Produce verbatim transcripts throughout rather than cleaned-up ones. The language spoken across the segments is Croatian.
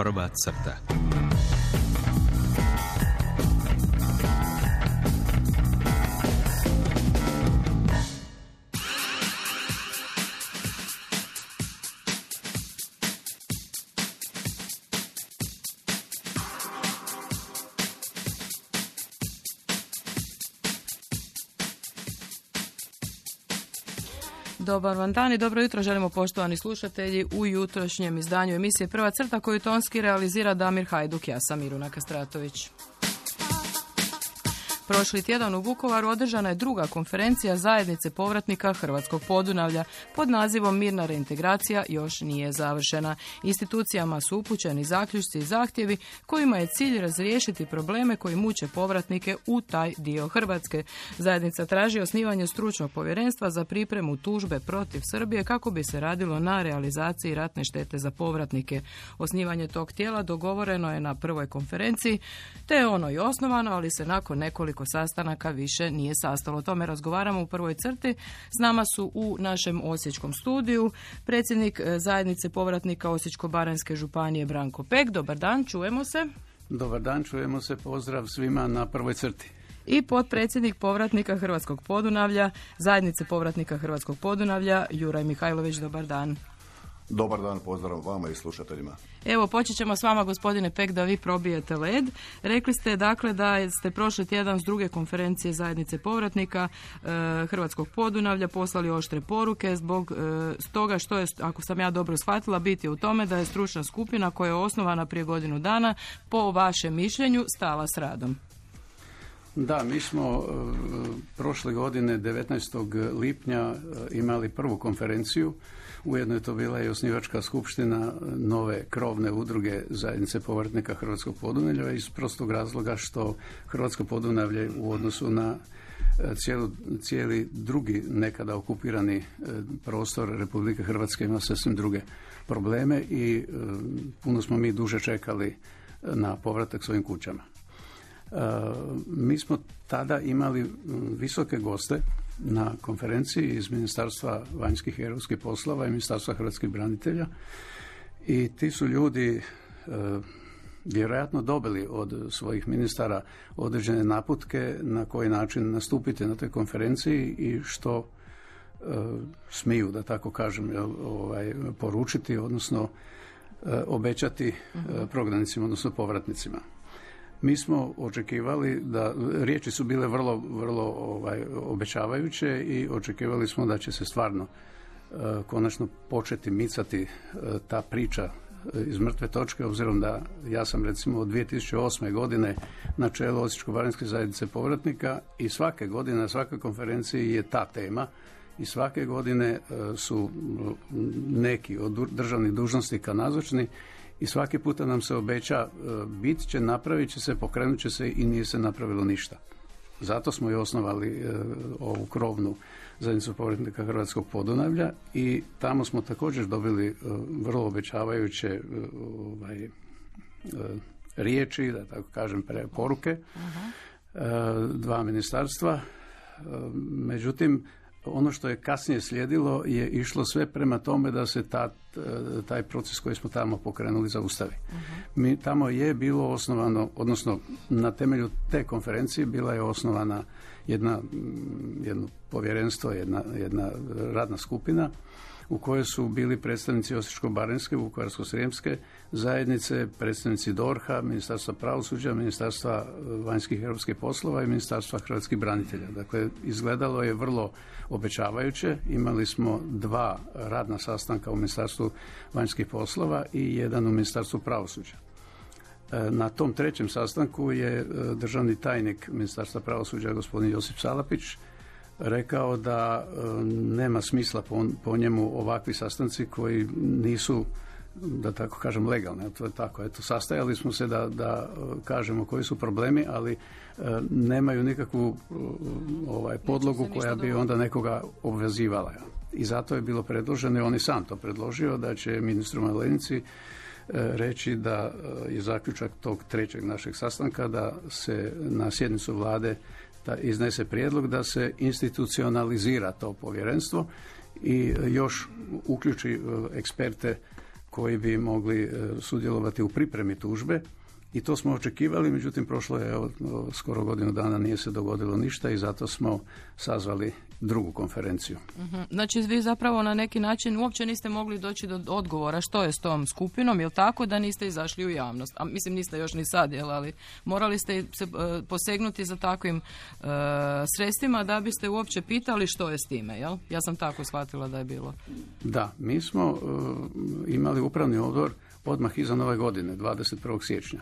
Prva crta. Dobar vam dan i dobro jutro želimo poštovani slušatelji u jutrošnjem izdanju emisije Prva crta koju tonski realizira Damir Hajduk, ja sam Miruna Kastratović. Prošli tjedan u Vukovaru održana je druga konferencija zajednice povratnika Hrvatskog Podunavlja pod nazivom Mirna reintegracija još nije završena. Institucijama su upućeni zaključci i zahtjevi kojima je cilj razriješiti probleme koji muče povratnike u taj dio Hrvatske. Zajednica traži osnivanje stručnog povjerenstva za pripremu tužbe protiv Srbije kako bi se radilo na realizaciji ratne štete za povratnike. Osnivanje tog tijela dogovoreno je na prvoj konferenciji, te je ono i osnovano, ali se nakon nekoliko sastanaka više nije sastalo. O tome razgovaramo u prvoj crti. S nama su u našem osječkom studiju predsjednik zajednice povratnika Osječko-baranjske županije Branko Pek. Dobar dan, čujemo se. Dobar dan, čujemo se. Pozdrav svima na prvoj crti. I potpredsjednik povratnika Hrvatskog Podunavlja, zajednice povratnika Hrvatskog Podunavlja, Juraj Mihajlović. Dobar dan. Dobar dan, pozdrav vama i slušateljima. Evo, počet ćemo s vama, gospodine Pek, da vi probijete led. Rekli ste, dakle, da ste prošli tjedan s druge konferencije zajednice povratnika e, Hrvatskog Podunavlja poslali oštre poruke zbog e, toga što je, ako sam ja dobro shvatila, biti u tome da je stručna skupina koja je osnovana prije godinu dana, po vašem mišljenju, stala s radom. Da, mi smo e, prošle godine devetnaestog lipnja e, imali prvu konferenciju. Ujedno je to bila i osnivačka skupština nove krovne udruge zajednice povratnika Hrvatskog Podunavlja iz prostog razloga što Hrvatsko Podunavlje u odnosu na cijelu, cijeli drugi nekada okupirani prostor Republike Hrvatske ima sasvim druge probleme i e, puno smo mi duže čekali na povratak svojim kućama. E, mi smo tada imali visoke goste na konferenciji iz Ministarstva vanjskih i europskih poslova i Ministarstva hrvatskih branitelja i ti su ljudi e, vjerojatno dobili od svojih ministara određene naputke na koji način nastupiti na toj konferenciji i što e, smiju, da tako kažem, ovaj, poručiti, odnosno e, obećati e, prognanicima, odnosno povratnicima. Mi smo očekivali da, riječi su bile vrlo, vrlo ovaj, obećavajuće i očekivali smo da će se stvarno e, konačno početi micati e, ta priča iz mrtve točke, obzirom da ja sam recimo od dvije tisuće osme. godine na čelu Osječko-baranjske zajednice povratnika i svake godine na svakoj konferenciji je ta tema i svake godine e, su neki od državnih dužnosnika nazočni i svaki puta nam se obeća bit će, napravit će se, pokrenut će se i nije se napravilo ništa. Zato smo i osnovali e, ovu krovnu zajednicu povratnika Hrvatskog Podunavlja i tamo smo također dobili e, vrlo obećavajuće e, ovaj, e, riječi, da tako kažem, poruke, uh-huh. e, dva ministarstva. E, međutim, ono što je kasnije slijedilo je išlo sve prema tome da se ta, taj proces koji smo tamo pokrenuli zaustavi. Uh-huh. Mi, tamo je bilo osnovano, odnosno na temelju te konferencije bila je osnovana jedna, jedno povjerenstvo, jedna, jedna radna skupina u kojoj su bili predstavnici Osječko-baranjske, Vukovarsko-srijemske zajednice, predstavnici D O R H-a, Ministarstva pravosuđa, Ministarstva vanjskih i europskih poslova i Ministarstva hrvatskih branitelja. Dakle, izgledalo je vrlo obećavajuće. Imali smo dva radna sastanka u Ministarstvu vanjskih poslova i jedan u Ministarstvu pravosuđa. Na tom trećem sastanku je državni tajnik Ministarstva pravosuđa, gospodin Josip Salapić, rekao da e, nema smisla po, po njemu ovakvi sastanci koji nisu, da tako kažem, legalni. To je tako. Eto, sastajali smo se da, da kažemo koji su problemi, ali e, nemaju nikakvu e, ovaj, podlogu koja bi onda nekoga obvezivala. I zato je bilo predloženo, i on je sam to predložio, da će ministru Malenici e, reći da je zaključak tog trećeg našeg sastanka da se na sjednicu vlade da iznese prijedlog da se institucionalizira to povjerenstvo i još uključi eksperte koji bi mogli sudjelovati u pripremi tužbe. I to smo očekivali, međutim prošlo je evo, skoro godinu dana, nije se dogodilo ništa i zato smo sazvali drugu konferenciju. Uh-huh. Znači vi zapravo na neki način uopće niste mogli doći do odgovora što je s tom skupinom, jel tako, da niste izašli u javnost? A mislim niste još ni sad, jel, ali morali ste se uh, posegnuti za takvim uh, sredstvima da biste uopće pitali što je s time, jel? Ja sam tako shvatila da je bilo. Da, mi smo uh, imali upravni odbor odmah iza nove godine, dvadeset prvog siječnja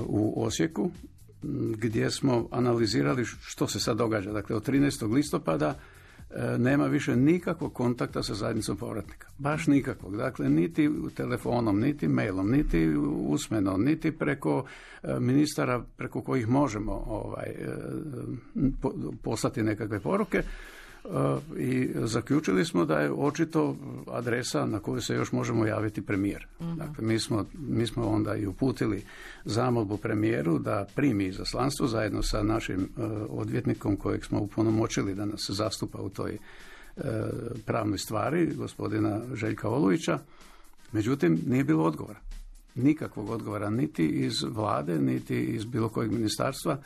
u Osijeku, gdje smo analizirali što se sad događa. Dakle, od trinaestog listopada nema više nikakvog kontakta sa zajednicom povratnika. Baš nikakvog. Dakle, niti telefonom, niti mailom, niti usmeno, niti preko ministara preko kojih možemo ovaj, poslati nekakve poruke. I zaključili smo da je očito adresa na koju se još možemo javiti premijer. Uh-huh. Dakle, mi smo, mi smo onda i uputili zamolbu premijeru da primi izaslanstvo zajedno sa našim uh, odvjetnikom kojeg smo upunomoćili da nas zastupa u toj uh, pravnoj stvari, gospodina Željka Olujića. Međutim, nije bilo odgovora. Nikakvog odgovora niti iz vlade, niti iz bilo kojeg ministarstva.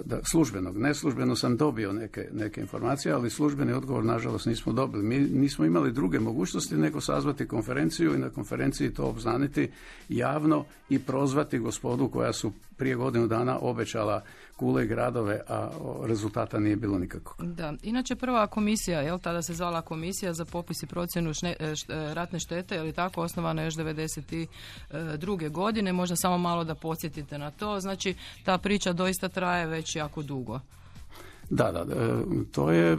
Da, službenog. Neslužbeno sam dobio neke, neke informacije, ali službeni odgovor nažalost nismo dobili. Mi nismo imali druge mogućnosti nego sazvati konferenciju i na konferenciji to obznaniti javno i prozvati gospodu koja su prije godinu dana obećala kule i gradove, a rezultata nije bilo nikakvog. Da, inače prva komisija, jel, tada se zvala komisija za popis i procjenu šne, št, ratne štete, je li tako, osnovana još devedeset druge godine, možda samo malo da podsjetite na to, znači ta priča doista traje već jako dugo. Da, da, to je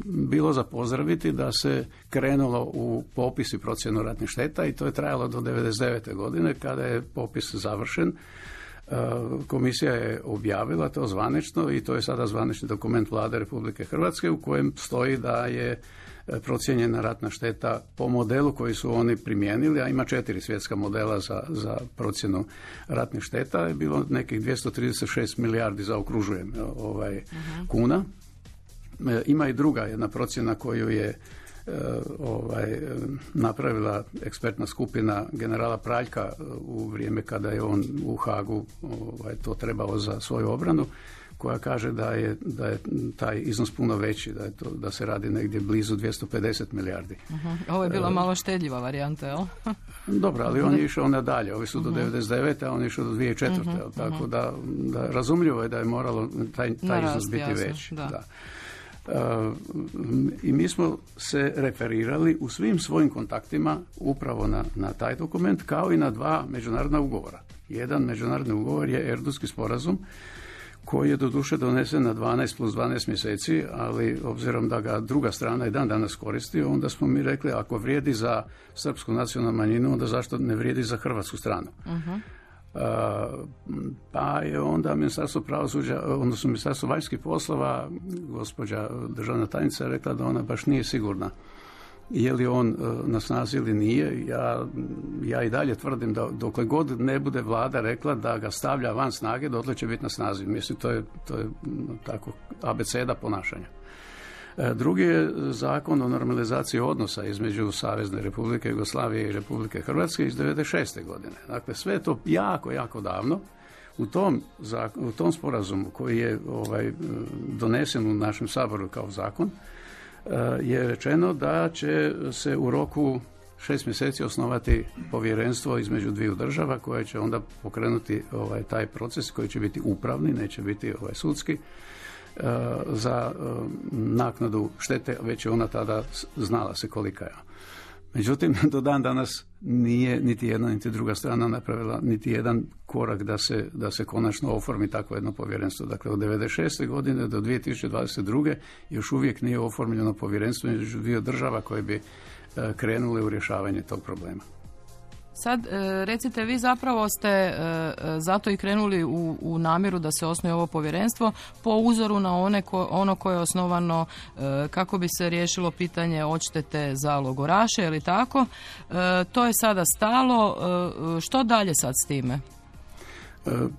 bilo za pozdraviti da se krenulo u popis i procjenu ratnih šteta i to je trajalo do devedeset devete godine kada je popis završen. Komisija je objavila to zvanično i to je sada zvanični dokument Vlade Republike Hrvatske u kojem stoji da je procijenjena ratna šteta po modelu koji su oni primijenili, a ima četiri svjetska modela za, za procjenu ratnih šteta, je bilo nekih dvjesto trideset šest milijardi, zaokružujem, ovaj, uh-huh. kuna. Ima i druga jedna procjena koju je ovaj, napravila ekspertna skupina generala Praljka u vrijeme kada je on u Hagu ovaj, to trebao za svoju obranu, koja kaže da je, da je taj iznos puno veći, da, je to, da se radi negdje blizu dvjesto pedeset milijardi. Uh-huh. Ovo je bila uh, malo štedljiva varijanta, jel? Dobro, ali on je išao nadalje. Ovi su do uh-huh. devedeset devete, a on je išao do dvije tisuće četvrte. Uh-huh. Tako da, da razumljivo je da je moralo taj, taj Narast, iznos biti jasno, veći. Da. Da. Uh, I mi smo se referirali u svim svojim kontaktima upravo na, na taj dokument, kao i na dva međunarodna ugovora. Jedan međunarodni ugovor je Erdutski sporazum, koji je doduše donesen na dvanaest plus dvanaest mjeseci, ali obzirom da ga druga strana i dan danas koristi, onda smo mi rekli ako vrijedi za srpsku nacionalnu manjinu, onda zašto ne vrijedi za hrvatsku stranu? Uh-huh. Uh, pa je onda Ministarstvo pravosuđa, odnosno Ministarstvo vanjskih poslova, gospođa državna tajnica rekla da ona baš nije sigurna je li on uh, na snazi ili nije. Ja, ja i dalje tvrdim da dokle god ne bude vlada rekla da ga stavlja van snage, dotle će biti na snazi. Mislim, to je, to je tako abeceda ponašanja. Uh, drugi je zakon o normalizaciji odnosa između Savezne Republike Jugoslavije i Republike Hrvatske iz devedeset šeste godine. Dakle, sve je to jako, jako davno. U tom, u tom sporazumu koji je ovaj, donesen u našem Saboru kao zakon, je rečeno da će se u roku šest mjeseci osnovati povjerenstvo između dviju država koje će onda pokrenuti ovaj, taj proces koji će biti upravni, neće biti ovaj, sudski, za naknadu štete, već je ona tada znala se kolika je. Međutim, do dan danas nije niti jedna niti druga strana napravila niti jedan korak da se, da se konačno oformi takvo jedno povjerenstvo. Dakle, od devedeset šeste godine do dvije tisuće dvadeset druge još uvijek nije oformljeno povjerenstvo između dvije država koje bi krenule u rješavanje tog problema. Sad, recite, vi zapravo ste zato i krenuli u, u namjeru da se osnuje ovo povjerenstvo po uzoru na one ko, ono koje je osnovano kako bi se riješilo pitanje odštete za logoraše, ili tako. To je sada stalo. Što dalje sad s time?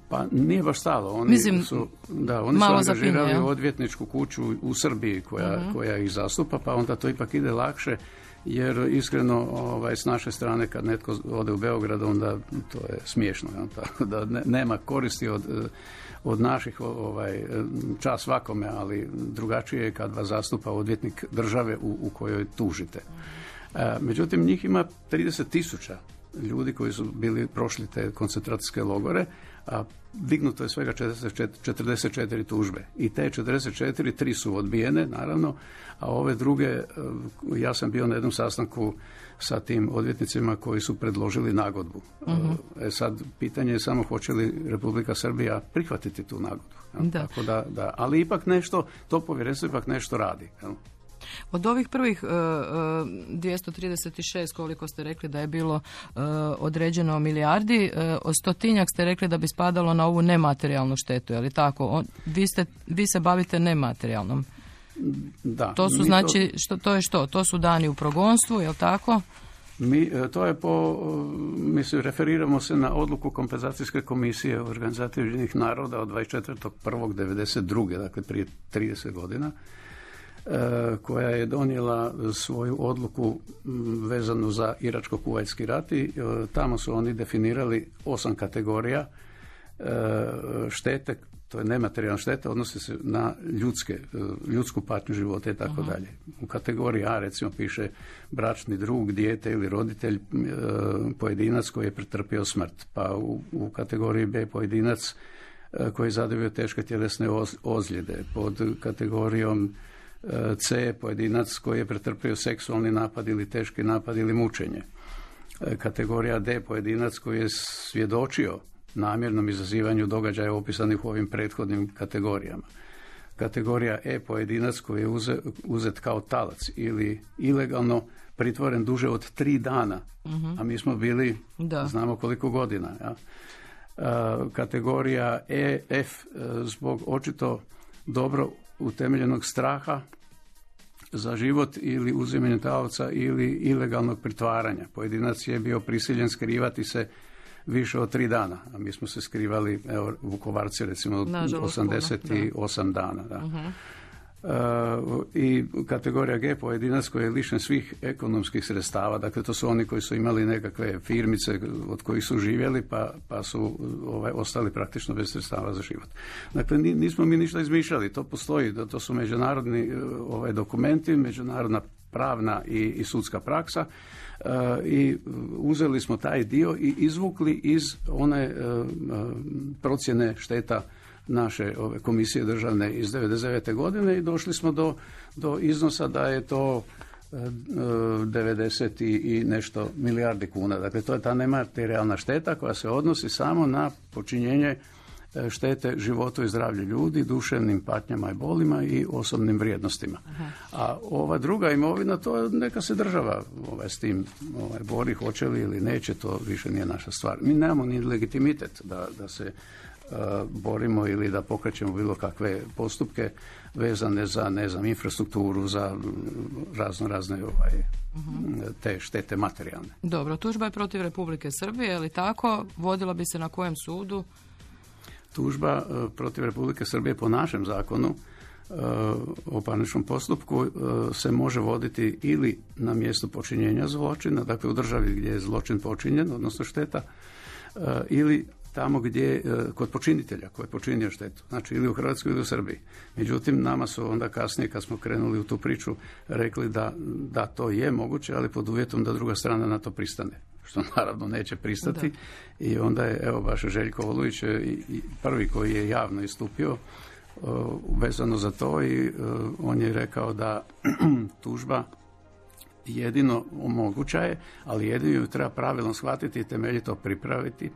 Pa nije baš stalo. Oni Mislim, su, da, oni su angažirali zapinje, odvjetničku kuću u Srbiji koja, uh-huh. koja ih zastupa, pa onda to ipak ide lakše jer iskreno ovaj, s naše strane kad netko ode u Beograd, onda to je smiješno, ja, tako da ne, nema koristi od, od naših ovaj, čas svakome, ali drugačije je kad vas zastupa odvjetnik države u, u kojoj tužite. E, međutim, njih ima trideset tisuća ljudi koji su bili prošli te koncentracijske logore, a dignuto je svega četrdeset četiri tužbe. I te četrdeset četiri, tri su odbijene, naravno, a ove druge, ja sam bio na jednom sastanku sa tim odvjetnicima koji su predložili nagodbu. Uh-huh. E sad, pitanje je samo hoće li Republika Srbija prihvatiti tu nagodbu. Da. Tako da, da, ali ipak nešto, to povjerenstvo ipak nešto radi. Jel? Od ovih prvih uh, dvjesto trideset šest, koliko ste rekli da je bilo uh, određeno milijardi, uh, od stotinjak ste rekli da bi spadalo na ovu nematerijalnu štetu, je li tako? On, vi, ste, vi se bavite nematerijalnom. Da. To su znači, to... Što, to je što? To su dani u progonstvu, je li tako? Mi, to je po, mislim, referiramo se na odluku kompenzacijske komisije Organizacije Ujedinjenih naroda od dvadeset četvrtog prvog devedeset druge, dakle prije trideset godina, koja je donijela svoju odluku vezanu za Iračko-Kuvajtski rat i tamo su oni definirali osam kategorija štete, to je nematerijalna šteta, odnosi se na ljudske, ljudsku patnju života i tako dalje. U kategoriji A recimo piše bračni drug, dijete ili roditelj, pojedinac koji je pretrpio smrt, pa u, u kategoriji B pojedinac koji je zadobio teške tjelesne ozljede, pod kategorijom C pojedinac koji je pretrpio seksualni napad ili teški napad ili mučenje. Kategorija D pojedinac koji je svjedočio namjernom izazivanju događaja opisanih u ovim prethodnim kategorijama. Kategorija E pojedinac koji je uzet, uzet kao talac ili ilegalno pritvoren duže od tri dana, uh-huh. a mi smo bili, da. znamo koliko godina. Ja. Kategorija E, F zbog očito dobro utemeljenog straha za život ili uzimanje taoca ili ilegalnog pritvaranja. Pojedinac je bio prisiljen skrivati se više od tri dana, a mi smo se skrivali, evo, Vukovarci recimo osamdeset osam dana. Da. Uh-huh. Uh, i kategorija G pojedinac koji je lišen svih ekonomskih sredstava, dakle to su oni koji su imali nekakve firmice od kojih su živjeli pa, pa su ovaj, ostali praktično bez sredstava za život. Dakle nismo mi ništa izmišljali, to postoji, to su međunarodni ovaj, dokumenti, međunarodna pravna i, i sudska praksa uh, i uzeli smo taj dio i izvukli iz one uh, procjene šteta naše ove komisije državne iz devedeset devete godine i došli smo do, do iznosa da je to devedeset i nešto milijardi kuna. Dakle, to je ta nematerijalna šteta koja se odnosi samo na počinjenje štete životu i zdravlju ljudi, duševnim patnjama i bolima i osobnim vrijednostima. Aha. A ova druga imovina, to neka se država ovaj, s tim ovaj, bori, hoće li ili neće, to više nije naša stvar. Mi nemamo ni legitimitet da, da se uh, borimo ili da pokrećemo bilo kakve postupke vezane za, ne znam, infrastrukturu, za razno razne ovaj, uh-huh. te štete materijalne. Dobro, tužba je protiv Republike Srbije, je li tako? Vodila bi se na kojem sudu? Tužba protiv Republike Srbije po našem zakonu o parničnom postupku se može voditi ili na mjestu počinjenja zločina, dakle u državi gdje je zločin počinjen, odnosno šteta, ili tamo gdje, kod počinitelja koji je počinio štetu, znači ili u Hrvatskoj ili u Srbiji. Međutim, nama su onda kasnije, kad smo krenuli u tu priču, rekli da, da to je moguće, ali pod uvjetom da druga strana na to pristane, što naravno neće pristati. Da. I onda je, evo, baš Željko Olujić je prvi koji je javno istupio uh, vezano za to i uh, on je rekao da tužba jedino moguća je, ali jedino ju treba pravilno shvatiti i temeljito pripraviti,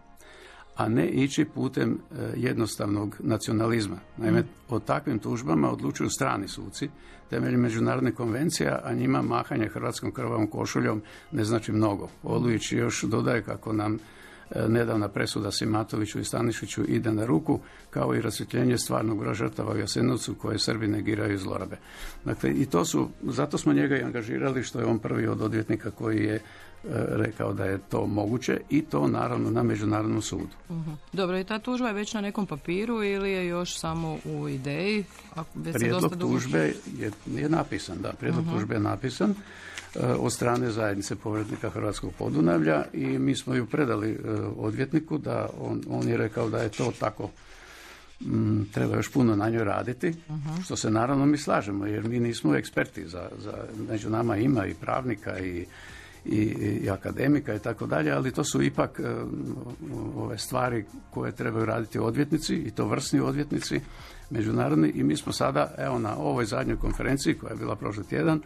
a ne ići putem uh, jednostavnog nacionalizma. Naime, mm. o takvim tužbama odlučuju strani suci temeljem međunarodne konvencija, a njima mahanje hrvatskom krvavom košuljom ne znači mnogo. Olujić još dodaje kako nam e, nedavna presuda Simatoviću i Stanišiću ide na ruku, kao i rasvjetljenje stvarnog broja žrtava u Jasenovcu koje Srbi negiraju i zlorabe. Dakle, i to su, zato smo njega i angažirali, što je on prvi od odvjetnika koji je rekao da je to moguće i to naravno na međunarodnom sudu. Uh-huh. Dobro, i ta tužba je već na nekom papiru ili je još samo u ideji? Prijedlog tužbe je, je napisan, da, prijedlog uh-huh. tužbe je napisan uh, od strane zajednice povratnika Hrvatskog Podunavlja i mi smo ju predali uh, odvjetniku da on, on je rekao da je to tako. Mm, treba još puno na njoj raditi, uh-huh. što se naravno mi slažemo, jer mi nismo eksperti, za, za, među nama ima i pravnika i, i, i akademika i tako dalje, ali to su ipak uh, ove stvari koje trebaju raditi odvjetnici i to vrsni odvjetnici međunarodni i mi smo sada, evo na ovoj zadnjoj konferenciji koja je bila prošli tjedan,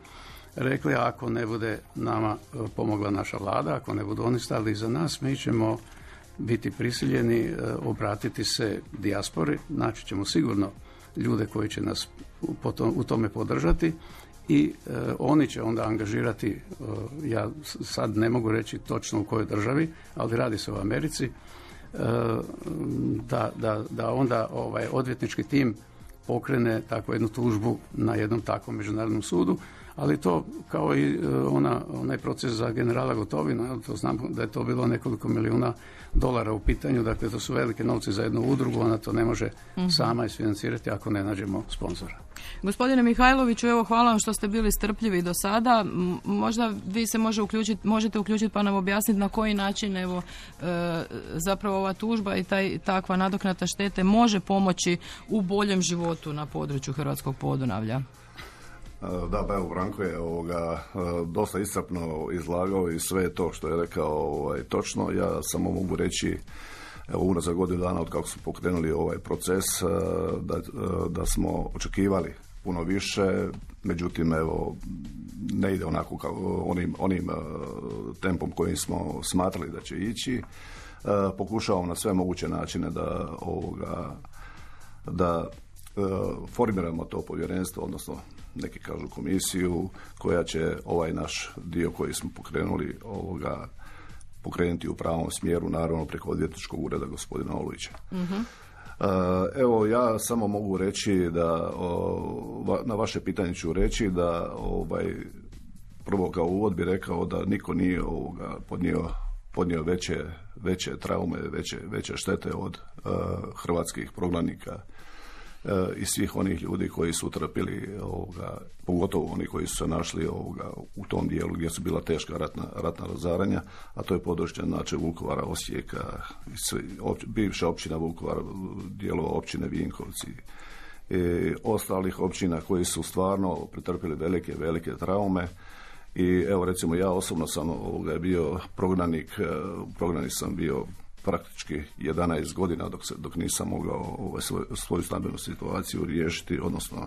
rekli ako ne bude nama pomogla naša vlada, ako ne budu oni stali iza nas, mi ćemo biti prisiljeni obratiti se dijaspori, naći ćemo sigurno ljude koji će nas u tome podržati i e, oni će onda angažirati, e, ja sad ne mogu reći točno u kojoj državi, ali radi se o Americi, e, da, da, da onda ovaj odvjetnički tim pokrene takvu jednu tužbu na jednom takvom međunarodnom sudu, ali to kao i ona, onaj proces za generala Gotovina, to znam da je to bilo nekoliko milijuna dolara u pitanju, dakle to su velike novci za jednu udrugu, ona to ne može mm-hmm. sama isfinancirati ako ne nađemo sponzora. Gospodine Mihajloviću, evo hvala vam što ste bili strpljivi do sada. Možda vi se može uključiti, možete uključiti pa nam objasniti na koji način evo e, zapravo ova tužba i taj, takva nadoknada štete može pomoći u boljem životu na području Hrvatskog Podunavlja. Da, pa evo, Branko je ovoga, dosta iscrpno izlagao i sve to što je rekao ovaj, točno. Ja samo mogu reći, evo, unazad godinu dana od kako smo pokrenuli ovaj proces, da, da smo očekivali puno više, međutim, evo, ne ide onako kao onim, onim tempom kojim smo smatrali da će ići. Pokušavamo na sve moguće načine da ovoga, da formiramo to povjerenstvo, odnosno neki kažu komisiju koja će ovaj naš dio koji smo pokrenuli ovoga pokrenuti u pravom smjeru, naravno preko odvjetničkog ureda gospodina Olujića. Mm-hmm. Evo, ja samo mogu reći da o, na vaše pitanje ću reći da ovaj, prvo kao uvod bi rekao da niko nije ovoga podnio, podnio veće, veće traume, veće, veće štete od uh, hrvatskih prognanika i svih onih ljudi koji su trpili ovoga, pogotovo oni koji su se našli ovoga, u tom dijelu gdje su bila teška ratna, ratna razaranja, a to je područje znači Vukovara, Osijeka, opć, bivša općina Vukovar, dijelova općine Vinkovci i ostalih općina koji su stvarno pretrpili velike, velike traume. I evo recimo ja osobno sam ovoga, bio prognanik, prognanik sam bio praktički jedanaest godina dok, se, dok nisam mogao ovaj, svoj, svoju stambenu situaciju riješiti, odnosno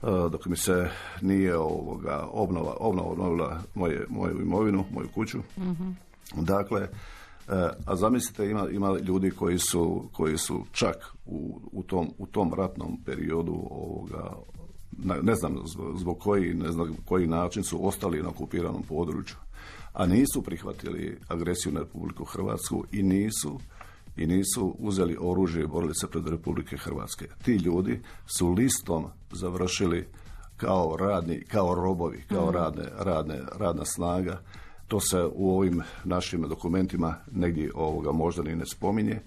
uh, dok mi se nije ovoga, obnova, obnova obnovila moje, moju imovinu, moju kuću. Mm-hmm. Dakle, uh, a zamislite ima, ima ljudi koji su, koji su čak u, u, tom, u tom ratnom periodu ovoga, ne znam zbog koji, ne znam koji način su ostali na okupiranom području, a nisu prihvatili agresiju na Republiku Hrvatsku i nisu i nisu uzeli oružje i borili se pred Republike Hrvatske. Ti ljudi su listom završili kao radni, kao robovi, kao radne, radne, radna snaga. To se u ovim našim dokumentima negdje ovoga možda ni ne spominje,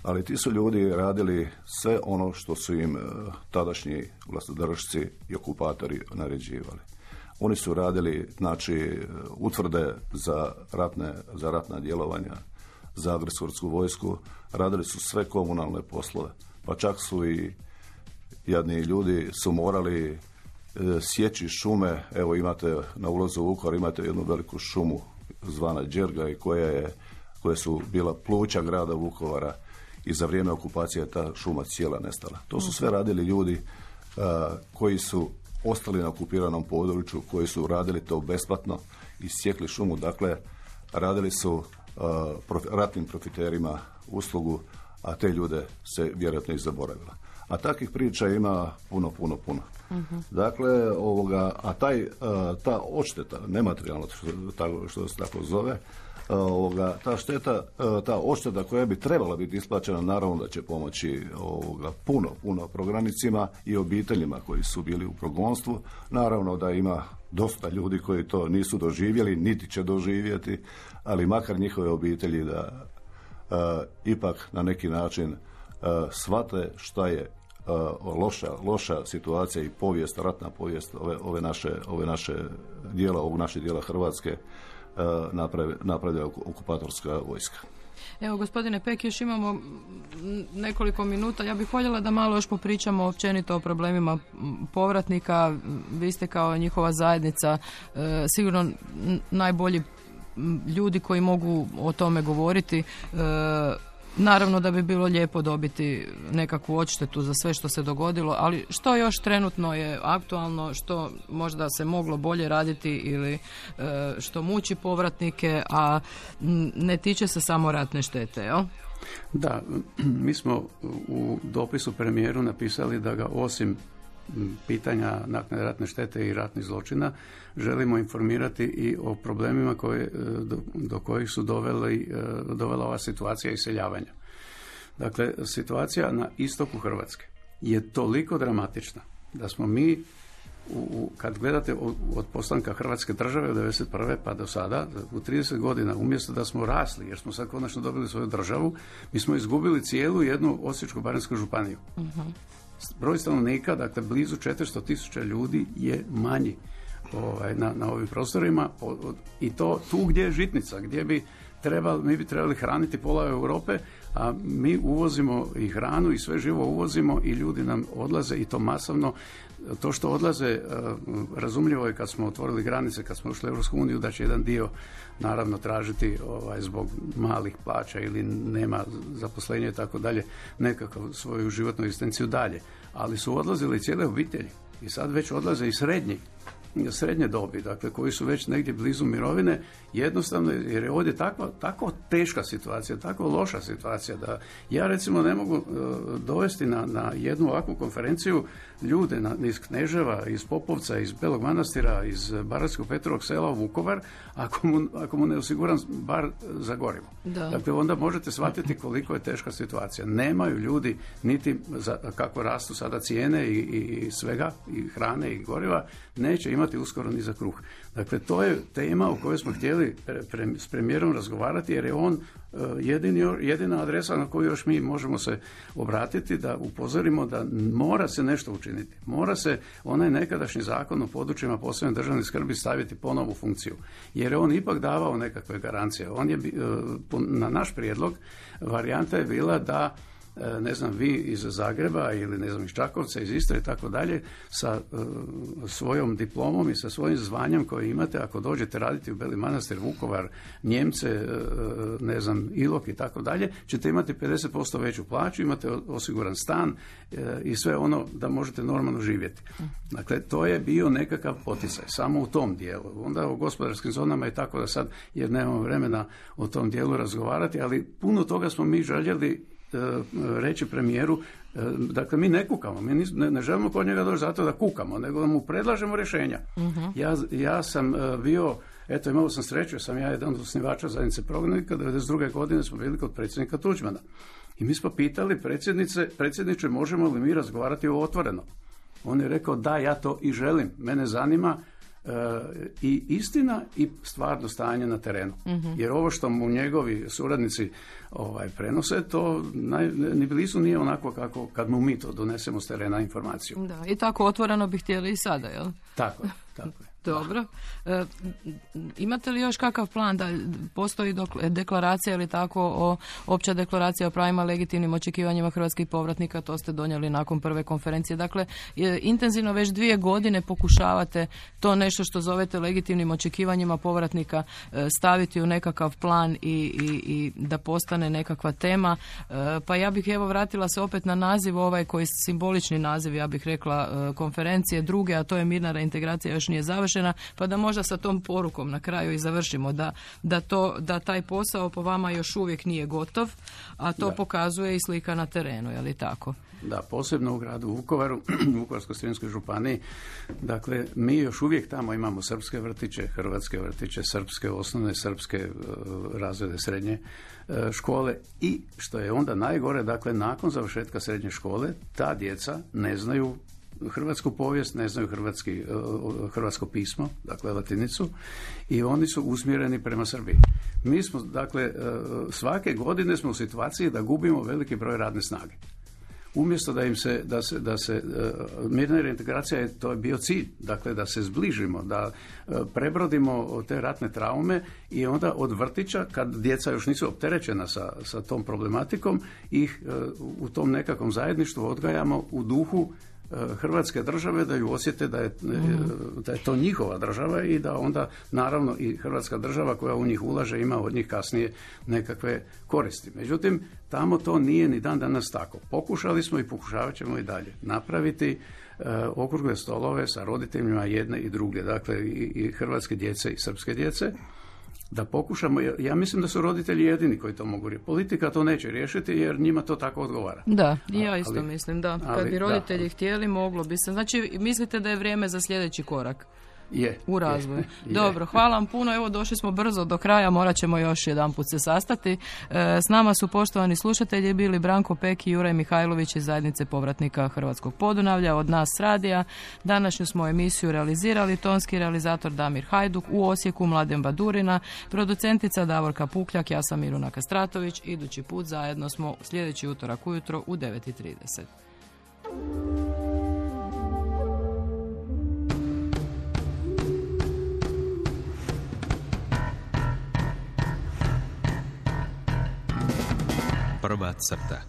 ali ti su ljudi radili sve ono što su im tadašnji vlastodržci i okupatori naređivali. Oni su radili, znači, utvrde za ratne, za ratna djelovanja, za agresorsku vojsku, radili su sve komunalne poslove, pa čak su i jadni ljudi su morali e, sjeći šume. Evo imate na ulazu u Vukovar imate jednu veliku šumu zvana Đerga i koja je, koje su bila pluća grada Vukovara i za vrijeme okupacije je ta šuma cijela nestala. To su sve radili ljudi a, koji su ostali na okupiranom području, koji su radili to besplatno i sjekli šumu. Dakle, radili su uh, profi, ratnim profiterima uslugu, a te ljude se vjerojatno i zaboravila. A takvih priča ima puno, puno, puno. Uh-huh. Dakle, ovoga, a taj, uh, ta odšteta, nematerijalno što, što se tako zove, uh, ovoga, ta šteta, uh, ta odšteta koja bi trebala biti isplaćena, naravno da će pomoći ovoga, puno, puno prognanicima i obiteljima koji su bili u progonstvu. Naravno da ima dosta ljudi koji to nisu doživjeli, niti će doživjeti, ali makar njihove obitelji da uh, ipak na neki način uh, shvate šta je uh, loša, loša situacija i povijest, ratna povijest ove, ove naše, ove naše dijela, ovog naše dijela Hrvatske uh, napravi, napravila okupatorska vojska. Evo, gospodine Pek, još imamo nekoliko minuta. Ja bih voljela da malo još popričamo općenito o problemima povratnika. Vi ste kao njihova zajednica e, sigurno najbolji ljudi koji mogu o tome govoriti. E, Naravno da bi bilo lijepo dobiti nekakvu odštetu za sve što se dogodilo, ali što još trenutno je aktualno, što možda se moglo bolje raditi ili e, što muči povratnike, a ne tiče se samo ratne štete, jel? Da, mi smo u dopisu premijeru napisali da ga osim pitanja naknade ratne štete i ratnih zločina želimo informirati i o problemima koje, do, do kojih su doveli, dovela ova situacija iseljavanja. Dakle, situacija na istoku Hrvatske je toliko dramatična da smo mi, u, kad gledate od postanka Hrvatske države od devedeset prve pa do sada, u trideset godina, umjesto da smo rasli, jer smo sad konačno dobili svoju državu, mi smo izgubili cijelu jednu Osječko-baranjsku županiju. Uh-huh. Broj stanovnika, dakle blizu četiristo tisuća ljudi je manji ovaj, na, na ovim prostorima i to tu gdje je žitnica, gdje bi trebali, mi bi trebali hraniti pola Europe, a mi uvozimo i hranu i sve živo uvozimo i ljudi nam odlaze i to masovno. To što odlaze, razumljivo je kad smo otvorili granice, kad smo ušli u Europsku uniju, da će jedan dio naravno tražiti ovaj, zbog malih plaća ili nema zaposlenja i tako dalje, nekakav svoju životnu egzistenciju dalje. Ali su odlazili cijele obitelji i sad već odlaze i srednji, srednje dobi, dakle koji su već negdje blizu mirovine, jednostavno jer je ovdje takva, tako teška situacija, tako loša situacija da ja recimo ne mogu uh, dovesti na, na jednu ovakvu konferenciju ljude na, iz Kneževa, iz Popovca, iz Belog Manastira, iz Baranjskog Petrovog sela u Vukovar, ako mu, ako mu ne osiguram bar za gorivo. Da. Dakle, onda možete shvatiti koliko je teška situacija. Nemaju ljudi niti za, kako rastu sada cijene i, i svega, i hrane i goriva, neće imati uskoro ni za kruh. Dakle, to je tema o kojoj smo htjeli pre, pre, s premijerom razgovarati, jer je on uh, jedini, jedina adresa na koju još mi možemo se obratiti da upozorimo da mora se nešto učiniti. Mora se onaj nekadašnji zakon o područjima posebne državne skrbi staviti ponovo u funkciju. Jer je on ipak davao nekakve garancije. On je, uh, na naš prijedlog, varijanta je bila da ne znam, vi iz Zagreba ili ne znam iz Čakovca, iz Istre i tako dalje, sa uh, svojom diplomom i sa svojim zvanjem koje imate, ako dođete raditi u Beli Manastir, Vukovar, Njemce, uh, ne znam, Ilok i tako dalje, ćete imati pedeset posto veću plaću, imate osiguran stan uh, i sve ono da možete normalno živjeti. Dakle, to je bio nekakav poticaj, samo u tom dijelu. Onda u gospodarskim zonama je tako da sad, jer nemamo vremena o tom dijelu razgovarati, ali puno toga smo mi željeli reći premijeru, dakle mi ne kukamo, mi ne, ne želimo kod njega doći zato da kukamo, nego da mu predlažemo rješenja. Uh-huh. Ja, ja sam bio, eto imao sam sreću, sam ja jedan od osnivača zajednice prognanika, devedeset druge godine smo bili kod predsjednika Tuđmana. I mi smo pitali predsjednice, predsjedniče, možemo li mi razgovarati o otvoreno? On je rekao da, ja to i želim, mene zanima Uh, i istina i stvarno stanje na terenu. Mm-hmm. Jer ovo što mu njegovi suradnici ovaj, prenose, to naj, ni blizu nije onako kako kad mu mi to donesemo s terena informaciju. Da, i tako otvoreno bi htjeli i sada, jel? Tako je, tako je. Dobro. E, imate li još kakav plan da postoji deklaracija ili tako o opća deklaracija o pravima legitimnim očekivanjima hrvatskih povratnika, to ste donijeli nakon prve konferencije. Dakle, je, intenzivno već dvije godine pokušavate to nešto što zovete legitimnim očekivanjima povratnika e, staviti u nekakav plan i, i, i da postane nekakva tema. E, pa ja bih evo vratila se opet na naziv ovaj koji je simbolični naziv, ja bih rekla, e, konferencije druge, a to je mirna reintegracija još nije završena. Pa da možda sa tom porukom na kraju i završimo da, da, to, da taj posao po vama još uvijek nije gotov, a to da. Pokazuje i slika na terenu, je li tako? Da, posebno u gradu Vukovaru, u Vukovarsko-srijemskoj županiji. Dakle, mi još uvijek tamo imamo srpske vrtiće, hrvatske vrtiće, srpske osnovne, srpske uh, razrede srednje uh, škole i što je onda najgore, dakle, nakon završetka srednje škole, ta djeca ne znaju hrvatsku povijest, ne znaju hrvatski, hrvatsko pismo, dakle latinicu, i oni su usmjereni prema Srbiji. Mi smo, dakle, svake godine smo u situaciji da gubimo veliki broj radne snage. Umjesto da im se, da se, da se mirna reintegracija je, to je bio cilj, dakle da se zbližimo, da prebrodimo te ratne traume i onda od vrtića, kad djeca još nisu opterećena sa, sa tom problematikom, ih u tom nekakvom zajedništvu odgajamo u duhu Hrvatske države, da ju osjete da je, da je to njihova država i da onda naravno i Hrvatska država koja u njih ulaže ima od njih kasnije nekakve koristi. Međutim, tamo to nije ni dan danas tako. Pokušali smo i pokušavat ćemo i dalje napraviti uh, okrugle stolove sa roditeljima jedne i druge, dakle i, i hrvatske djece i srpske djece, da pokušamo, ja mislim da su roditelji jedini koji to mogu riješiti. Politika to neće riješiti jer njima to tako odgovara. Da, ja isto ali, mislim, da. Kad ali, bi roditelji da, htjeli, moglo bi se. Znači, mislite da je vrijeme za sljedeći korak? Je. U razvoju. Je, Dobro, hvala vam puno. Evo, došli smo brzo do kraja, morat ćemo još jedan put se sastati. E, s nama su poštovani slušatelji bili Branko Pek i Juraj Mihajlović iz Zajednice povratnika Hrvatskog Podunavlja, od nas s radija. Današnju smo emisiju realizirali tonski realizator Damir Hajduk, u Osijeku Mladen Badurina, producentica Davorka Pukljak, ja sam Miruna Kastratović. Idući put zajedno smo sljedeći utorak ujutro u devet i trideset. Prva crta.